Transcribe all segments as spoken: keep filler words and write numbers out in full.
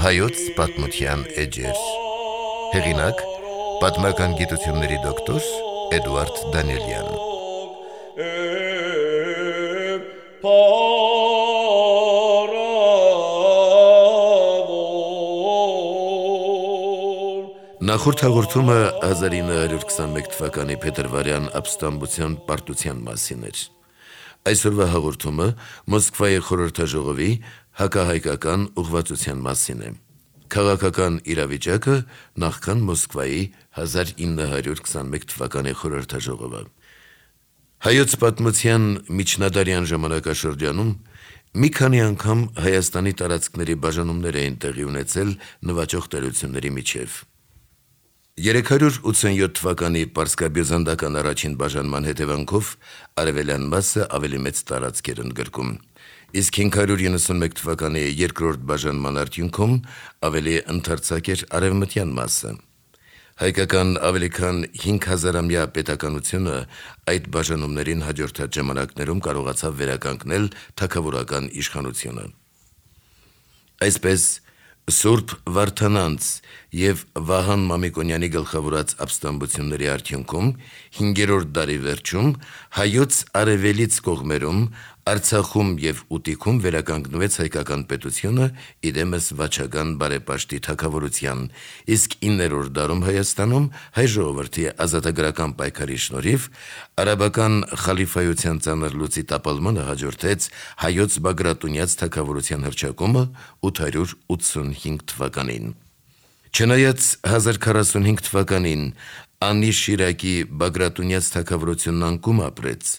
Հայոց պատմության էջեր։ Հեղինակ՝ պատմական գիտությունների դոկտոր Էդուարդ Դանիելյան։ Նախորդ հաղորդումը հազար ինը հարյուր քսանմեկ թվականի փետրվարյան ապստամբության պարտության մասին էր։ Այսօրվա հաղորդումը Մոսկվայի խորհրդաժողովի հակահայկական ուղղվածության մասին է։ Քաղաքական իրավիճակը նախքան Մոսկվայի հազար ինը հարյուր քսանմեկ թվականի խորհրդաժողովը։ Հայոց պատմության միջնադարյան ժամանակաշրջանում մի քանի անգամ Հայաստանի տարածքների բաժանումներ էին տեղի ունեցել նվաճող տերությունների միջև։ երեք հարյուր ութսունյոթ թվականի պարսկաբյուզանդական առաջին բաժանման հետևանքով արևելյան մասը ավելի մեծ տարածք էր ընդգրկում, իսկ հինգ հարյուր իննսունմեկ թվականի երկրորդ բաժանման արդյունքում ավելի ընդարձակ էր արևմտյան մասը։ Հայկական ավելի քան հինգ հազարամյա պետականությունը այդ բաժանումներին հաջորդած ժամանակներում կարողացավ վերականգնել թագավորական իշխանությունը։ Այսպես Սուրբ Վարդանանց և Վահան Մամիկոնյանի գլխավորած ապստամբությունների արդյունքում հինգերորդ դարի վերջում հայոց արևելից կողմերում Արցախում և Ուտիքում վերականգնվեց հայկական պետությունը իդեմս վաչական բարեպաշտի թագավորության, իսկ իններորդ դարում Հայաստանում հայ ժողովրդի ազատագրական պայքարի շնորհիվ արաբական խալիֆայության ծանր լուծի տապալմանը հաջորդեց հայոց Բագրատունյաց թագավորության հռչակումը ութ հարյուր ութսունհինգ թվականին։ Չնայած հազար քառասունհինգ թվականին Անի Շիրակի Բագրատունյաց թագավորությունն անկում ապրեց,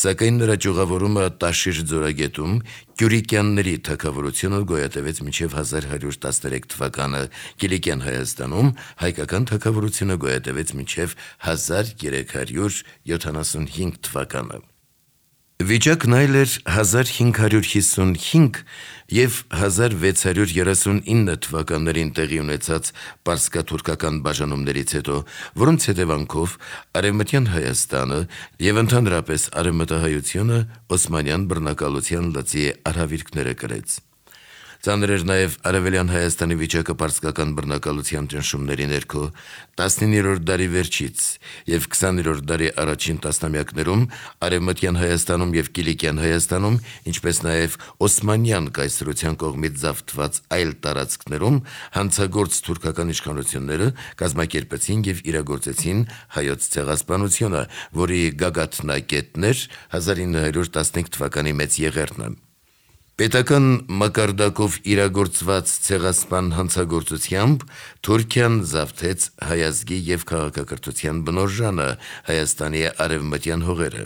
սակայն նրա ճյուղավորումը Տաշիր ձորագետում Կյուրիկյանների թագավորությունը գոյատևեց մինչև հազար հարյուր տասներեք թվականը, Կիլիկյան Հայաստանում հայկական թագավորությունը գոյատևեց մինչև հազար երեք հարյուր յոթանասունհինգ թվականը։ Վիճակն այլ էր հազար հինգ հարյուր հիսունհինգ և հազար վեց հարյուր երեսունինը թվականներին տեղի ունեցած պարսկաթուրքական բաժանումներից հետո, որոնց հետևանքով Արևմտյան Հայաստանը և ընդհանրապես արևմտահայությունը Օսմանյան բռնակալության լծի արհավիրքները կրեց։ Ծանր էր նաև Արևելյան Հայաստանի վիճակը պարսկական բռնակալության ճնշումների ներքո։ տասնիններորդ դարի վերջից և քսաներորդ դարի առաջին տասնամյակներում Արևմտյան Հայաստանում և Կիլիկյան Հայաստանում, ինչպես նաև Օսմանյան կայսրության կողմից զավթված այլ տարածքներում հանցագործ թուրքական իշխանությունները կազմակերպեցին և իրագործեցին հայոց ցեղասպանությունը, որի գագաթնակետն էր հազար ինը հարյուր տասնհինգ թվականի Մեծ Եղեռնը։ Պետական մակարդակով իրագործված ցեղասպան հանցագործությամբ Թուրքիան զավթեց հայ ազգի և քաղաքակրթության բնօրժանը Հայաստանի արևմտյան հողերը։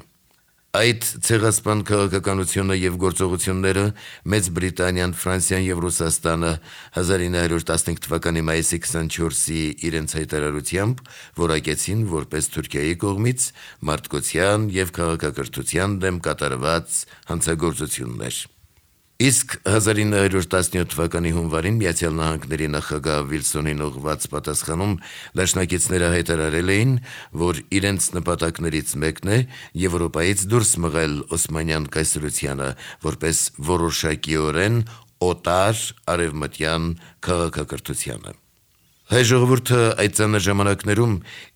Այդ ցեղասպան քաղաքականությունը և գործողությունները Մեծ Բրիտանիան, Ֆրանսիան և Ռուսաստանը հազար ինը հարյուր տասնհինգ թվականի մայիսի քսանչորսի իրենց հայտարարությամբ որակեցին որպես Թուրքիայի կողմից մարդկության և քաղաքակրթության դեմ կատարված հանցագործություններ։ Իսկ հազար ինը հարյուր տասնյոթ թվականի հունվարին Միացյալ Նահանգների նախագահ Վիլսոնին ուղղված պատասխանում դաշնակիցները հայտարարել էին, որ իրենց նպատակներից մեկն է Եվրոպայից դուրս մղել Օսմանյան կայսրությանը որպես որոշակիորեն օտար արևմտյան քաղաքակրթությանը։ Հայ ժողովուրդը այդ ծանր ժամանակներում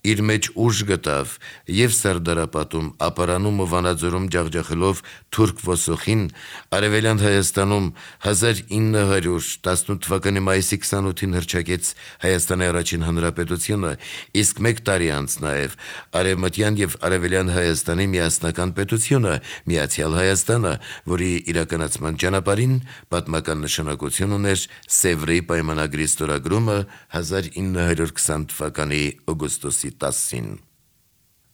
իր մեջ ուժ գտավ և Սարդարապատում, Ապարանում ու Վանաձորում ջախջախելով թուրք ոսոխին, Արևելյան Հայաստանում հազար ինը հարյուր տասնութ թվականի մայիսի քսանութին հռչակեց Հայաստանի առաջին հանրապետությունը, իսկ մեկ տարի անց նաև Արևմտյան և Արևելյան Հայաստանի միասնական պետությունը Միացյալ Հայաստանը, որի իրականացման ճանապարհին պատմական նշանակություն ուներ Սևրի պայմանագրի ստորագրումը հազար ինը հարյուր քսան թվականի օգոստոսի տասին։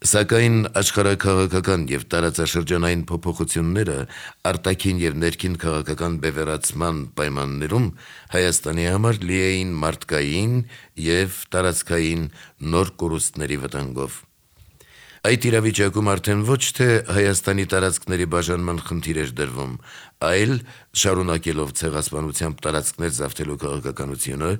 Սակայն աշխարհաքաղաքական և տարածաշրջանային փոփոխությունները արտաքին և ներքին քաղաքական բևեռացման պայմաններում Հայաստանի համար լի էին մարդկային և տարածքային նոր կորուստների վտանգով։ Այդ իրավիճակում արդեն ոչ թե Հայաստանի տարածքների բաժանման խնդիր էր դրվում, այլ շարունակելով ցեղասպանությամբ տարածքներ զավթելու քաղաքականությունը,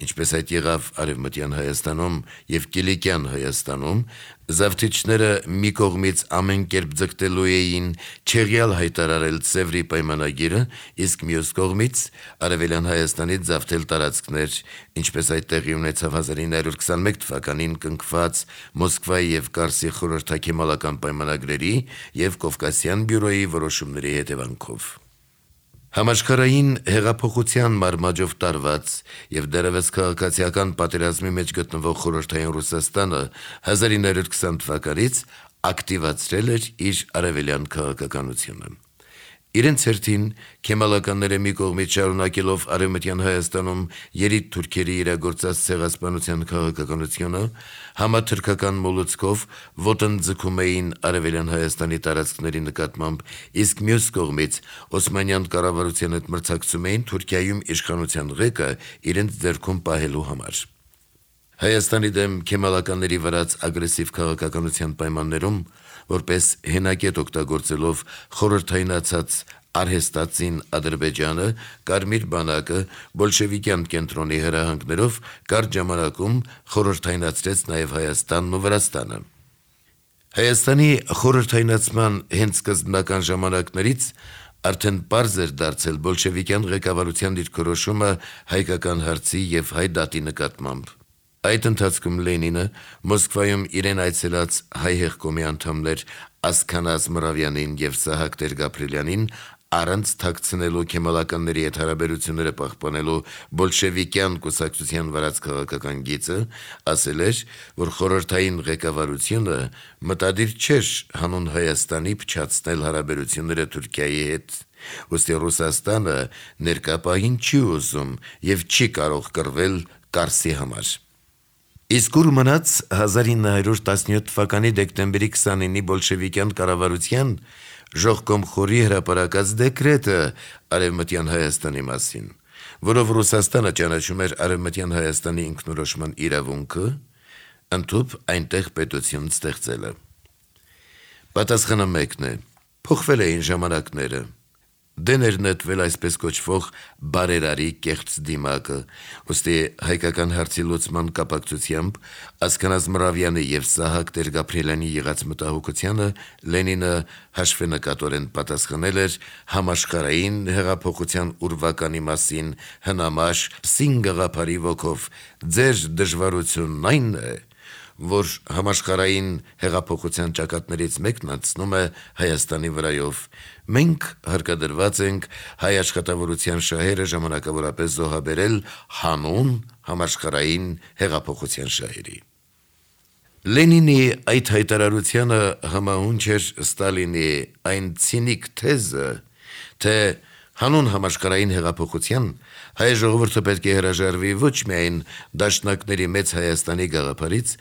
ինչպես այդ եղավ Արևմտյան Հայաստանում եւ Կիլիկյան Հայաստանում, զավթիչները մի կողմից ամեն կերպ ձգտելու էին չեղյալ հայտարարել Սևրի պայմանագիրը, իսկ մյուս կողմից Արևելյան Հայաստանից զավթել տարածքներ, ինչպես այդ տեղի ունեցավ հազար ինը հարյուր քսանմեկ թվականին կնքված Մոսկվայի եւ Կարսի խորհրդաքեմալական պայմանագրերի եւ Կովկասյան բյուրոյի որոշումների հետևանքով։ Համաշխարհային հեղափոխության մարմաճով տարված եւ դեռևս քաղաքացիական պատերազմի մեջ գտնվող խորհրդային Ռուսաստանը հազար ինը հարյուր քսան թվականից ակտիվացրել էր իր արևելյան քաղաքականությունը։ Իրենց հերթին քեմալականները մի կողմից շարունակելով Արևմտյան Հայաստանում երիտ թուրքերի իրագործած ցեղասպանության քաղաքականությունը, համաթրքական մոլուցքով ոտնձգում էին Արևելյան Հայաստանի տարածքների նկատմամբ, իսկ մյուս կողմից Օսմանյան կառավարության հետ մրցակցում էին Թուրքիայում իշխանության ղեկը իրենց ձեռքում պահելու համար։ Հայաստանի դեմ քեմալականների վարած ագրեսիվ քաղաքականության պայմաններում, որպես հենակետ օգտագործելով խորհրդայնացած արհեստածին Ադրբեջանը, Կարմիր բանակը բոլշևիկյան կենտրոնի հրահանգներով կարճ ժամանակում խորհրդայնացրեց նաև Հայաստանն ու Վրաստանը։ Հայաստանի խորհրդայնացման հենց սկզբնական ժամանակներից արդեն պարզ էր դարձել բոլշևիկյան ղեկավարության դիրքորոշումը հայկական հարցի եւ հայ դատի նկատմամբ։ Այդ ընթացքում Լենինը Մոսկվայում իրեն այցելած հայ հեղկոմի անդամներ Ասքանազ Մռավյանին եւ Սահակ Տեր-Գաբրելյանին առանց թաքցնելու քեմալականների հետ հարաբերությունները պահպանելու բոլշևիկյան կուսակցության վարած քաղաքական գիծը, ասել էր, որ խորհրդային ղեկավարությունը մտադիր չէր հանուն Հայաստանի փչացնել հարաբերությունները Թուրքիայի հետ, ուստի Ռուսաստանը ներկա պահին չի ուզում եւ չի կարող կռվել Կարսի համար։ Իսկ ուր մնաց հազար ինը հարյուր տասնյոթ թվականի դեկտեմբերի քսանինի բոլշևիկյան կառավարության Ժողկոմխորի հրապարակած դեկրետը Արևմտյան Հայաստանի մասին, որով Ռուսաստանը ճանաչում էր Արևմտյան Հայաստանի ինքնորոշման իրավունքը, ընդཐུպ այնտեղ պետություն ստեղծելը։ Պատասխանը մեկն է. փոխվել էին ժամանակները։ Դեն էր նետվել այսպես կոչվող բարերարի կեղծ դիմակը, ուստի հայկական հարցի լուծման կապակցությամբ Ասքանազ Մռավյանի եւ Սահակ Տեր-Գաբրելյանի եղած մտահոգությանը Լենինը հաշվենկատորեն պատասխանել էր համաշխարհային հեղափոխության ուրվականի մասին հնամաշ պսին գաղափարի ոգով. ձեր դժվարությունն այն է, որ համաշխարհային հեղափոխության ճակատներից մեկն անցնում է Հայաստանի վրայով։ Մենք հարկադրված ենք հայ աշխատավորության շահերը ժամանակավորապես զոհաբերել հանուն համաշխարհային հեղափոխության շահերի։ Լենինի այդ հայտարարությանը համահունչ էր Ստալինի այն ցինիկ թեզը, թե հանուն համաշխարհային հեղափոխության հայ ժողովուրդը պետք է հրաժարվի ոչ միայն դաշնակների մեծ Հայաստանի գաղափարից,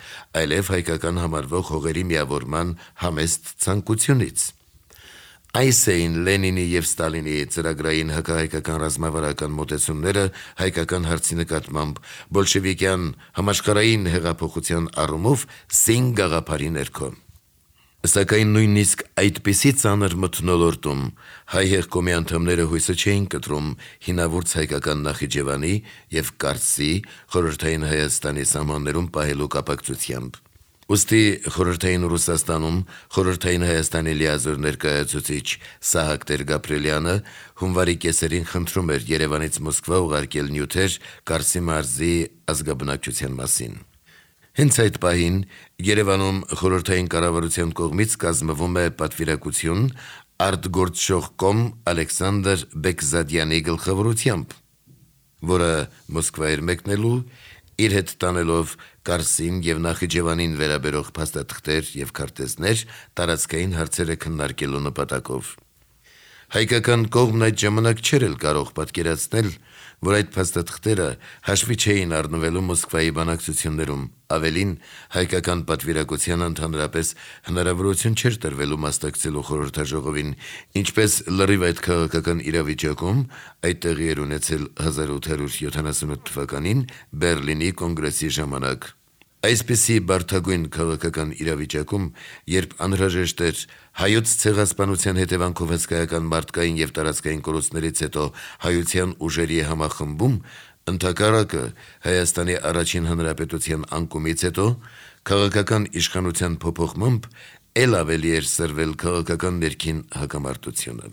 այլև հայկական համարվող հողերի միավորման համեստ ցանկությունից։ Այս էին Լենինի եւ Ստալինի ծրագրային հակահայկական ռազմավարական մոտեցումները հայկական հարցի նկատմամբ բոլշևիկյան համաշխարհային հեղափոխության առումով սին գաղափարի ներքո։ Սակայն նույնիսկ այդպիսի ծանր մթնոլորտում հայ հեղկոմի անդամները հույսը չէին կտրում հինավուրց հայկական Նախիջևանի եւ Կարսի խորհրդային Հայաստանի սահմաններում պահելու կապակցությամբ։ Ուստի խորհրդային Ռուսաստանում խորհրդային Հայաստանի լիազոր ներկայացուցիչ Սահակ Տեր-Գաբրելյանը հունվարի կեսերին խնդրում էր Երևանից Մոսկվա ուղարկել նյութեր Կարսի մարզի ազգաբնակչության մասին։ Հենց այդ պահին Երևանում խորհրդային կառավարության կողմից կազմվում է պատվիրակություն արտգործող կոմ Ալեքսանդր Բեկզադյանի գլխավորությամբ, որը Մոսկվա էր մեկնելու իր հետ տանելով Կարսին եւ Նախիջևանին վերաբերող փաստաթղթեր եւ քարտեզներ տարածքային հարցերը քննարկելու նպատակով։ Հայկական կողմն այդ ժամանակ չէր էլ կարող պատկերացնել, որ այդ փաստաթղթերը հաշվի չէին առնվելու Մոսկվայի բանակցություններում, ավելին հայկական պատվիրակությանը ընդհանրապես հնարավորություն չէր տրվելու մասնակցելու խորհրդաժողովին, ինչպես լրիվ այդ քաղաքական իրավիճակում այդ տեղի էր ունեցել հազար ութ հարյուր յոթանասունութ թվականին Բերլինի կոնգրեսի ժամանակ։ Այսպիսի բարդագույն քաղաքական իրավիճակում, երբ անհրաժեշտ էր հայոց ցեղասպանության հետևանքով հսկայական մարդկային եւ տարածքային կորուստներից հետո հայության ուժերի համախմբում, ընդհակառակը Հայաստանի առաջին հանրապետության անկումից հետո քաղաքական իշխանության փոփոխմամբ ել ավելի էր սրվել քաղաքական ներքին հակամարտությունը։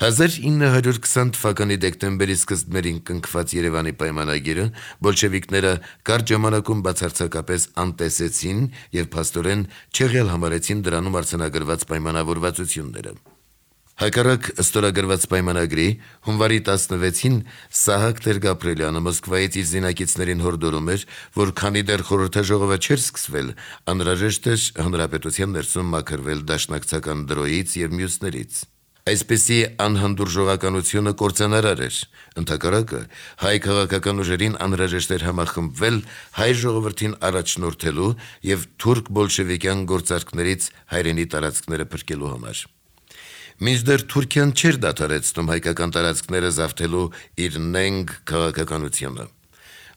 հազար ինը հարյուր քսան թվականի դեկտեմբերի սկզբներին կնքված Երևանի պայմանագիրը բոլշևիկները կարճ ժամանակում բացարձակապես անտեսեցին եւ փաստորեն չեղյալ համարեցին դրանում արձանագրված պայմանավորվածությունները։ Հակառակ ստորագրված պայմանագրի հունվարի տասնվեցին Սահակ Տեր-Գաբրելյանը Մոսկվայից իր զինակիցներին հորդորում էր, որ քանի դեռ խորհրդաժողովը չէր սկսվել, անհրաժեշտ էր հանրապետության ներսում մաքրվել դաշնակցական դրոյից եւ մյուսներից։ Այսպիսի անհանդուրժողականությունը կործանարար էր, ընդհակառակը հայ քաղաքական ուժերին անհրաժեշտ էր համախմբվել հայ ժողովրդին առաջնորդելու եւ թուրք բոլշևիկյան գործարքներից հայրենի տարածքները փրկելու համար։ Մինչդեռ Թուրքիան չէր դադարեցնում հայկական տարածքները զավթելու իր նենգ քաղաքականությունը։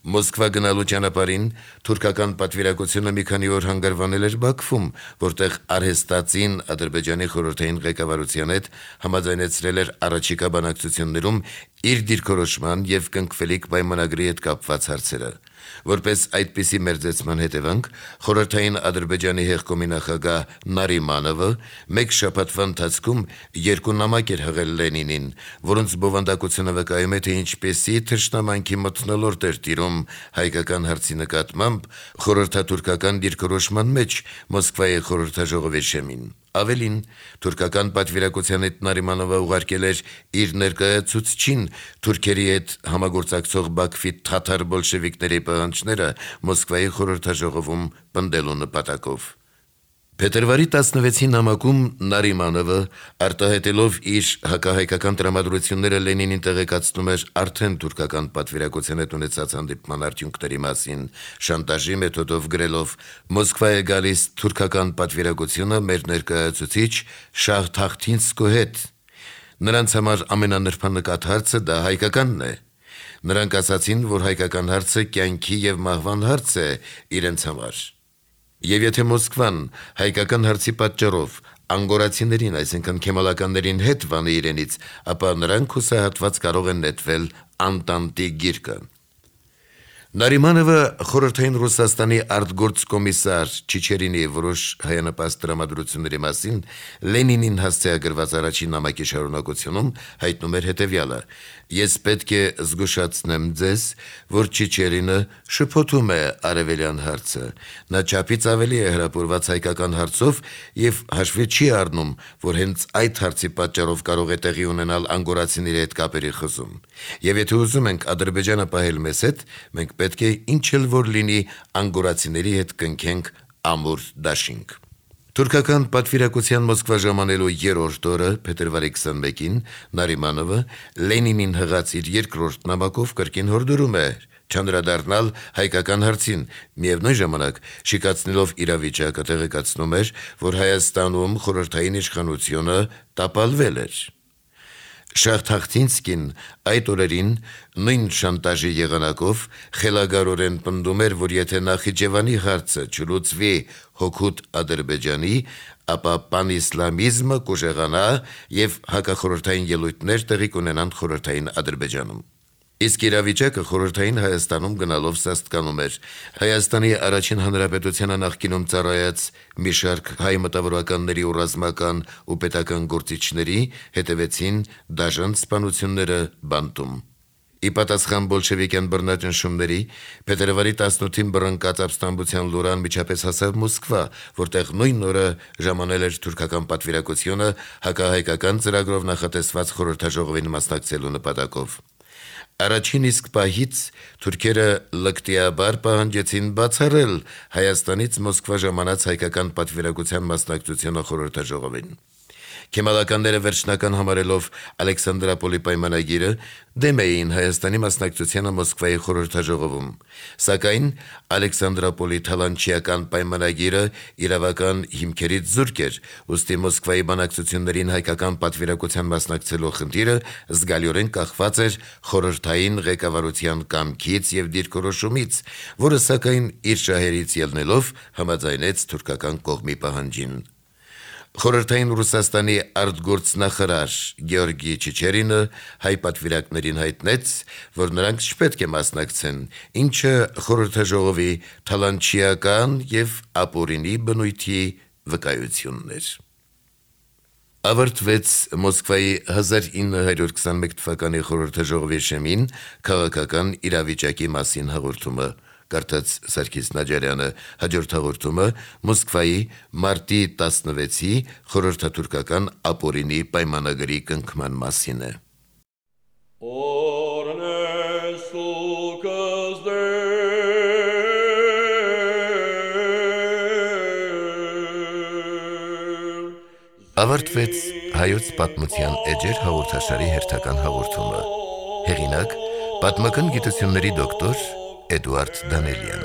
Մոսկվա գնալու ճանապարհին թուրքական պատվիրակությունը մի քանի օր հանգրվանել էր Բաքվում, որտեղ արհեստածին Ադրբեջանի խորհրդային ղեկավարության հետ համաձայնեցրել էր առաջիկա բանակցություններում իր դիրքորոշման եւ կնքվելիք պայմանագրի հետ կապված հարցերը։ Որպես այդպիսի մերձեցման հետևանք խորհրդային Ադրբեջանի հեղկոմի նախագահ Նարիմանովը մեկ շաբաթվա ընթացքում երկու նամակ էր հղել Լենինին, որոնց բովանդակությունը վկայում է, թե ինչպեսի թշնամանքի մթնոլորտ էր տիրում հայկական հարցի նկատմամբ խորհրդատուրքական դիրքորոշման մեջ Մոսկվայի խորհրդաժողովի շեմին։ Ավելին, թուրքական պատվիրակության հետ Նարիմանովը ուղարկել էր իր ներկայացուցչին թուրքերի հետ համագործակցող Բաքվի թաթար բոլշևիկների պահանջները Մոսկվայի խորհրդաժողովում պնդելու նպատակով։ Փետրվարի տասնվեցին նամակում Նարիմանովը արտահայտելով իր հակահայկական տրամադրությունները Լենինին տեղեկացնում էր արդեն թուրքական պատվիրակության հետ ունեցած հանդիպման արդյունքների մասին, շանտաժի մեթոդով գրելով. «Մոսկվա է գալիս թուրքական պատվիրակությունը մեր ներկայացուցիչ Շահ Թախտինսկու հետ։ Նրանց համար ամենանրբանկատ հարցը դա հայկականն է։ Նրանք ասացին, որ հայկական հարցը կյանքի եւ մահվան հարց է իրենց համար։ Եվ եթե Մոսկվան հայկական հարցի պատճառով անգորացիներին, այսինքն քեմալականներին հետ վանի իրենից, ապա նրանք հուսահատված կարող են նետվել Անտանտի գիրկը»։ Նարիմանովը խորհրդային Ռուսաստանի արտգործկոմիսար Չիչերինի որոշ հայանպաստ տրամադրությունների մասին Լենինին հասցեագրված առաջին նամակի շարունակությունում հայտնում էր հետևյալը. «Ես պետք է զգուշացնեմ ձեզ, որ Չիչերինը շփոթում է արևելյան հարցը։ Նա չափից ավելի է հրապուրված հայկական հարցով եւ հաշվի չի առնում, որ հենց այդ հարցի պատճառով կարող է տեղի ունենալ անգորացիների հետ կապերի խզում։ Եվ եթե ուզում ենք Ադրբեջանը պահել մեզ հետ, մենք պետք է ինչ էլ որ լինի անգորացիների հետ կնքենք ամուր դաշինք»։ Թուրքական պատվիրակության Մոսկվա ժամանելու երրորդ օրը, փետրվարի քսանմեկին, Նարիմանովը Լենինին հղած իր երկրորդ նամակով կրկին հորդորում է չանդրադառնալ հայկական հարցին, միևնույն ժամանակ շիկացնելով իրավիճակը տեղեկացնում էր, որ Հայաստանում խորհրդային իշխանությունը տապալվել էր։ Շահ Թախտինսկին այդ օրերին նույն շանտաժի եղանակով խելագարորեն պնդում էր, որ եթե Նախիջևանի հարցը չլուծվի հօգուտ Ադրբեջանի, ապա պանիսլամիզմը կուժեղանա եւ հակախորհրդային ելույթներ տեղի կունենան խորհրդային Ադրբեջանում։ Իսկ իրավիճակը խորհրդային Հայաստանում գնալով սաստկանում էր։ Հայաստանի առաջին հանրապետությանը նախկինում ծառայած մի շարք հայ մտավորականների ու ռազմական ու պետական գործիչների հետևեցին դաժան սպանությունները բանտում։ Ի պատասխան բոլշևիկյան բռնաճնշումների փետրվարի տասնութին բռնկած ապստամբության լուրան միջապես հասավ Մոսկվա, որտեղ նույն օրը ժամանել էր թուրքական պատվիրակությունը հակահայկական ծրագրով նախատեսված խորհրդաժողովին մասնակցելու նպատակով։ Առաջին իսկ պահից թուրքերը լկտիաբար պահանջեցին բացառել Հայաստանից Մոսկվա ժամանած հայկական պատվիրակության մասնակցությունը խորհրդաժողովին։ Քեմալականները վերջնական համարելով Ալեքսանդրապոլի պայմանագիրը դեմ էին Հայաստանի մասնակցությանը Մոսկվայի խորհրդաժողովում, սակայն Ալեքսանդրապոլի թալանչիական պայմանագիրը իրավական հիմքերից զուրկ էր, ուստի Մոսկվայի բանակցություններին հայկական պատվիրակության մասնակցելու խնդիրը զգալիորեն կախված էր խորհրդային ղեկավարության կամքից եւ դիրքորոշումից, որը սակայն իր շահերից ելնելով համաձայնեց թուրքական կողմի պահանջին։ Խորհրդային Ռուսաստանի արտգործնախարար Գեորգի Չիչերինը հայ պատվիրակներին հայտնեց, որ նրանք չպետք է մասնակցեն, ինչը խորհրդաժողովի թալանչիական եւ ապօրինի բնույթի վկայությունն էր։ Ավարտվեց Մոսկվայի հազար ինը հարյուր քսանմեկ թվականի խորհրդաժողովի շեմին քաղաքական իրավիճակի մասին հաղորդումը, կարդաց Սարգիս Նաջարյանը, հաջորդ հաղորդումը Մոսկվայի մարտի տասնվեցի խորհրդատուրքական ապօրինի պայմանագրի կնքման մասին է։ Ավարտվեց հայոց պատմության էջեր հաղորդաշարի հերթական հաղորդումը։ Հեղինակ՝ պատմական գիտությունների դոկտոր Էդուարդ Դանելյան։